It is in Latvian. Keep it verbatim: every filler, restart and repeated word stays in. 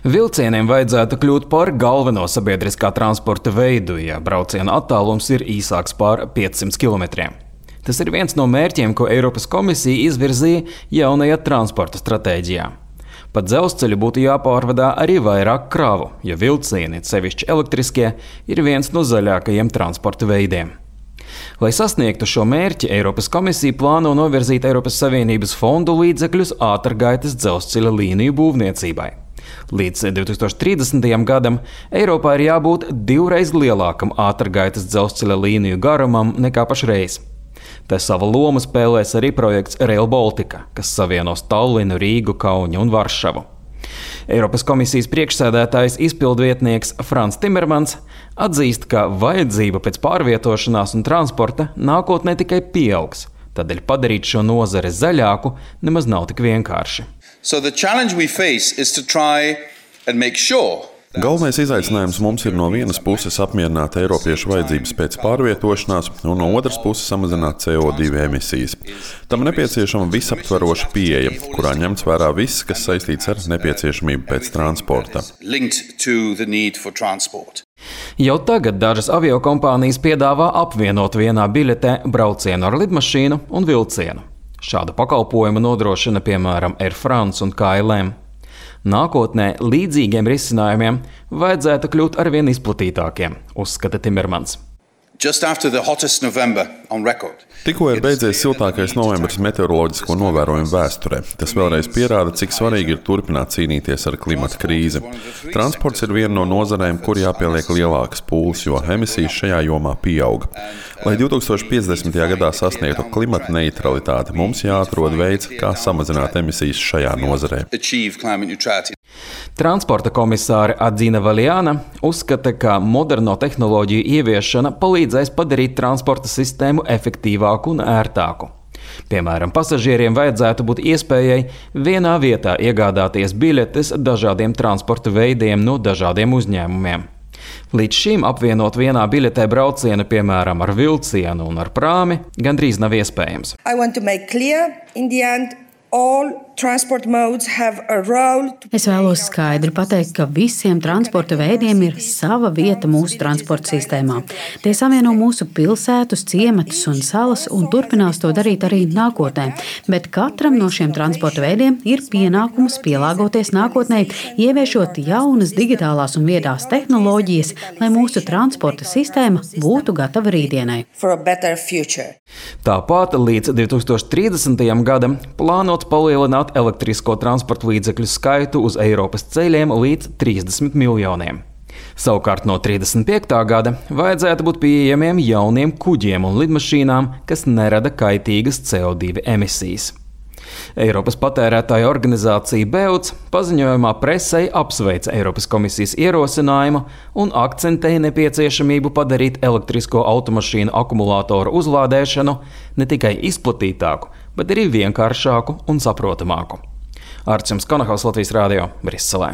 Vilcieniem vajadzētu kļūt par galveno sabiedriskā transporta veidu, ja brauciena attālums ir īsāks par piecsimt kilometriem. Tas ir viens no mērķiem, ko Eiropas komisija izvirzīja jaunajā transporta stratēģijā. Pa dzelzceļu būtu jāpārvadā arī vairāk kravu, jo vilcieni, sevišķi elektriskie, ir viens no zaļākajiem transporta veidiem. Lai sasniegtu šo mērķi, Eiropas komisija plāno novirzīt Eiropas Savienības fondu līdzekļus ātrgaitas dzelzceļa līniju būvniecībai. Līdz divi tūkstoši trīsdesmitajam gadam Eiropā ir jābūt divreiz lielākam ātrgaitas dzelzceļa līniju garumam nekā pašreiz. Te sava loma spēlēs arī projekts Rail Baltica, kas savienos Tallinu, Rīgu, Kaunu un Varšavu. Eiropas komisijas priekšsēdētājs izpildvietnieks Frans Timermans atzīst, ka vajadzība pēc pārvietošanās un transporta nākotnē tikai pieaugs. Tādēļ padarīt šo nozari zaļāku nemaz nav tik vienkārši. So the challenge we face is to try and make sure Galvenais izaicinājums mums ir no vienas puses apmierināt eiropiešu vajadzības pēc pārvietošanās un no otras puses samazināt C O divi emisijas. Tam nepieciešama visaptveroša pieeja, kurā ņemts vērā viss, kas saistīts ar nepieciešamību pēc transporta. Jau tagad dažas aviokompānijas piedāvā apvienot vienā biļetē braucienu ar lidmašīnu un vilcienu. Šādu pakalpojumu nodrošina piemēram Air France un K L M. Nākotnē līdzīgiem risinājumiem vajadzētu kļūt arvien izplatītākiem, uzskata Timermans. Tikko ir beidzies siltākais novembris meteoroloģisko novērojumu vēsturē. Tas vēlreiz pierāda, cik svarīgi ir turpināt cīnīties ar klimata krīzi. Transports ir viena no nozarēm, kur jāpieliek lielākas pūles, jo emisijas šajā jomā pieaug. Lai divi tūkstoši piecdesmitajā gadā sasniegtu klimata neutralitāti, mums jāatrod veids, kā samazināt emisijas šajā nozarē. Transporta komisāre Adzina Valjāna uzskata, ka moderno tehnoloģiju ieviešana palīdzēs padarīt transporta sistēmu efektīvāku un ērtāku. Piemēram, pasažieriem vajadzētu būt iespējai vienā vietā iegādāties biļetes dažādiem transporta veidiem no dažādiem uzņēmumiem. Līdz šim apvienot vienā biļetē braucienu, piemēram, ar vilcienu un ar prāmi, gandrīz nav iespējams. Es vēlos skaidri pateikt, ka visiem transporta veidiem ir sava vieta mūsu transporta sistēmā. Tie savieno mūsu pilsētus, ciematus un salas un turpinās to darīt arī nākotnē. Bet katram no šiem transporta veidiem ir pienākums pielāgoties nākotnē, ieviešot jaunas digitālās un viedās tehnoloģijas, lai mūsu transporta sistēma būtu gatava rītdienai. Tāpat līdz divi tūkstoši trīsdesmitajam gadam plānots palielināt elektrisko transporta līdzekļu skaitu uz Eiropas ceļiem līdz trīsdesmit miljoniem. Savukārt no trīsdesmit piektā gada vajadzētu būt pieejamiem jauniem kuģiem un lidmašīnām, kas nerada kaitīgas C O divi emisijas. Eiropas patērētāju organizācija BEUC paziņojumā presei apsveica Eiropas komisijas ierosinājumu un akcentēja nepieciešamību padarīt elektrisko automašīnu akumulātoru uzlādēšanu ne tikai izplatītāku, bet arī vienkāršāku un saprotamāku. Arčuns Konahaus, Latvijas Rādio, Briselē.